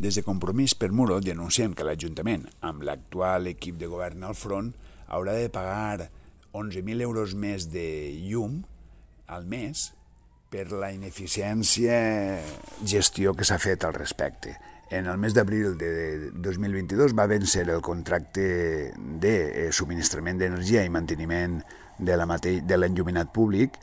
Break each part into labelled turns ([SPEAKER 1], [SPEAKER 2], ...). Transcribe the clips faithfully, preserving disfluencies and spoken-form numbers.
[SPEAKER 1] Des de Compromís per Muro denunciem que l'Ajuntament, amb l'actual equip de govern al front, haurà de pagar onze mil euros més de llum al mes per la ineficiència gestió que s'ha fet al respecte. En el mes d'abril de dos mil vint-i-dos va vèncer el contracte de subministrament d'energia i manteniment de l'enlluminat públic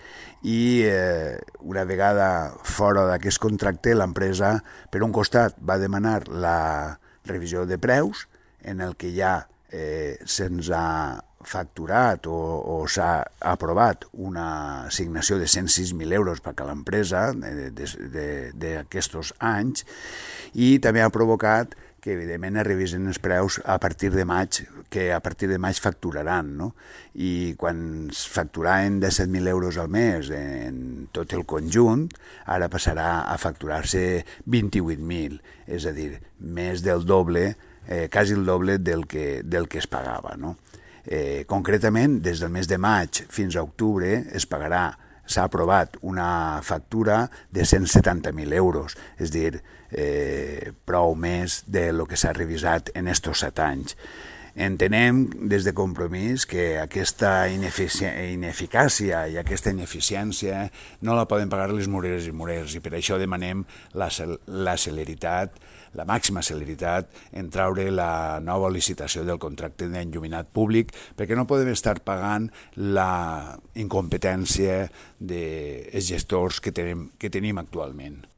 [SPEAKER 1] i eh, una vegada fora d'aquest contracte l'empresa, per un costat, va demanar la revisió de preus en el que ja eh, se'ns ha facturat o, o s'ha aprovat una assignació de cent sis mil euros per a l'empresa d'aquests anys i també ha provocat que evidentment es revisen els preus a partir de maig, que a partir de maig facturaran, no? I quan es facturaven disset mil euros al mes en tot el conjunt, ara passarà a facturar-se vint-i-vuit mil, és a dir, més del doble, eh, quasi el doble del que, del que es pagava, no? Eh, concretament, des del mes de maig fins a octubre es pagarà, s'ha aprovat una factura de cent setanta mil euros, és a dir, eh, prou més del que s'ha revisat en estos set anys. Entenem des de Compromís que aquesta ineficàcia i aquesta ineficiència no la poden pagar les mureres i murers i per això demanem la, la celeritat, la màxima celeritat en traure la nova licitació del contracte d'enlluminat públic perquè no podem estar pagant la incompetència dels gestors que tenim, que tenim actualment.